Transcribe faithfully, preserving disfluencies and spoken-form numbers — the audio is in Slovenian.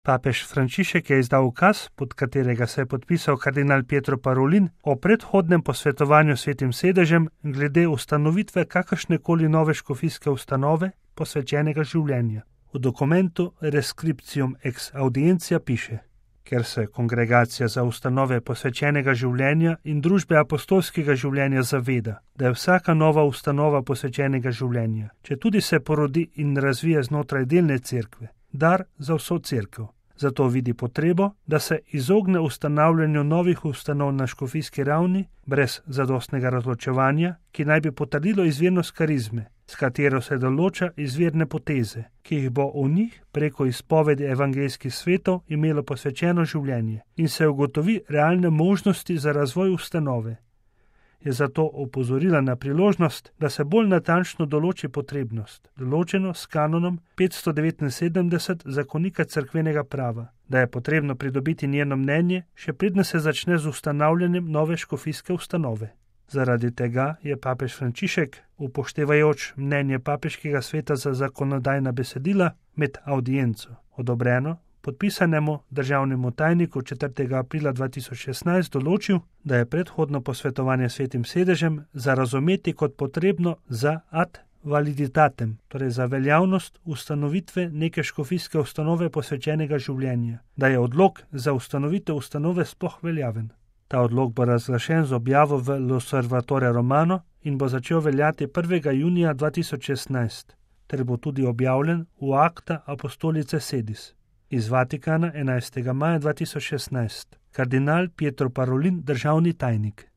Papež Frančišek je izdal ukaz, pod katerega se je podpisal kardinal Pietro Parolin o predhodnem posvetovanju s Svetim sedežem glede ustanovitve kakršnekoli nove škofijske ustanove posvečenega življenja. V dokumentu Rescriptium ex Audientia piše: Ker se kongregacija za ustanove posvečenega življenja in družbe apostolskega življenja zaveda, da je vsaka nova ustanova posvečenega življenja, če tudi se porodi in razvije znotraj delne cerkve, dar za vso cerkev. Zato vidi potrebo, da se izogne ustanavljanju novih ustanov na škofijski ravni brez zadostnega razločevanja, ki naj bi potrdilo izvirnost karizme, s katero se določa izvirne poteze, ki jih bo v njih preko izpovedi evangeljskih svetov imelo posvečeno življenje in se ugotovi realne možnosti za razvoj ustanove. Je zato opozorila na priložnost, da se bolj natančno določi potrebnost, določeno s kanonom petsto devetinsedemdeset zakonika cerkvenega prava, da je potrebno pridobiti njeno mnenje, še preden se začne z ustanavljanjem nove škofijske ustanove. Zaradi tega je papež Frančišek, upoštevajoč mnenje papeškega sveta za zakonodajna besedila, med audienco odobreno podpisanemu državnemu tajniku četrtega aprila dva tisoč šestnajst določil, da je predhodno posvetovanje s Svetim sedežem za razumeti kot potrebno za ad validitatem, torej za veljavnost ustanovitve neke škofijske ustanove posvečenega življenja, da je odlok za ustanovitev ustanove sploh veljaven. Ta odlok bo razglašen z objavo v L'Osservatore Romano in bo začel veljati prvega junija dva tisoč šestnajst, ter bo tudi objavljen v Acta Apostolice Sedis. Iz Vatikana enajstega maja dva tisoč šestnajst. Kardinal Pietro Parolin, državni tajnik.